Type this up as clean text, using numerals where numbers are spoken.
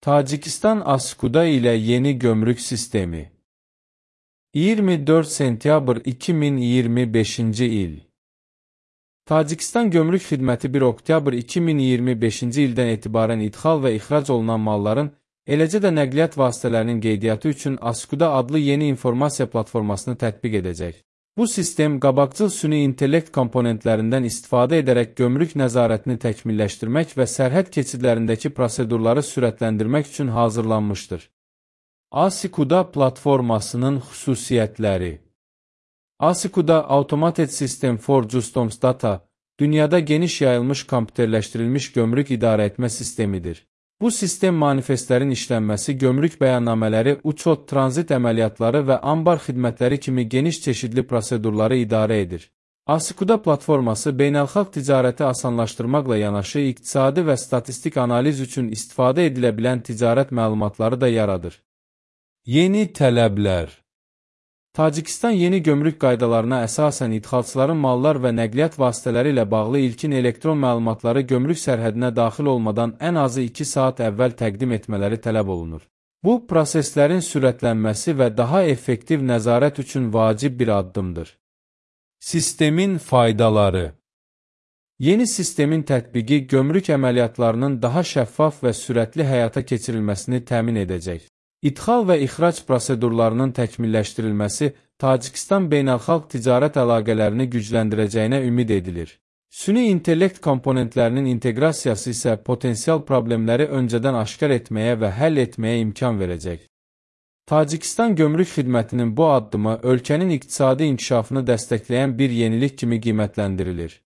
Tacikistan Askuda ilə yeni gömrük sistemi. 24 sentyabr 2025-ci il. Tacikistan Gömrük Xidməti 1 oktyabr 2025-ci ildən etibarən idxal və ixrac olunan malların, eləcə də nəqliyyat vasitələrinin qeydiyyatı üçün Askuda adlı yeni informasiya platformasını tətbiq edəcək. Bu sistem, qabaqcıl süni intellekt komponentlərindən istifadə edərək gömrük nəzarətini təkmilləşdirmək və sərhəd keçidlərindəki prosedurları sürətləndirmək üçün hazırlanmışdır. Asikuda platformasının xüsusiyyətləri. Asikuda Automated System for Customs Data, dünyada geniş yayılmış kompüterləşdirilmiş gömrük idarəetmə sistemidir. Bu sistem manifestlərin işlənməsi, gömrük bəyannamələri, uçot, tranzit əməliyyatları və ambar xidmətləri kimi geniş çeşidli prosedurları idarə edir. Asikuda platforması beynəlxalq ticarəti asanlaşdırmaqla yanaşı, iqtisadi və statistik analiz üçün istifadə edilə bilən ticarət məlumatları da yaradır. Yeni tələblər. Tacikistan yeni gömrük qaydalarına əsasən idxalçıların mallar və nəqliyyat vasitələri ilə bağlı ilkin elektron məlumatları gömrük sərhədinə daxil olmadan ən azı 2 saat əvvəl təqdim etmələri tələb olunur. Bu, proseslərin sürətlənməsi və daha effektiv nəzarət üçün vacib bir addımdır. Sistemin faydaları. Yeni sistemin tətbiqi gömrük əməliyyatlarının daha şəffaf və sürətli həyata keçirilməsini təmin edəcək. İdxal və ixrac prosedurlarının təkmilləşdirilməsi Tacikistan beynəlxalq ticarət əlaqələrini gücləndirəcəyinə ümid edilir. Süni intellekt komponentlərinin inteqrasiyası isə potensial problemləri öncədən aşkar etməyə və həll etməyə imkan verəcək. Tacikistan Gömrük Xidmətinin bu addımı ölkənin iqtisadi inkişafını dəstəkləyən bir yenilik kimi qiymətləndirilir.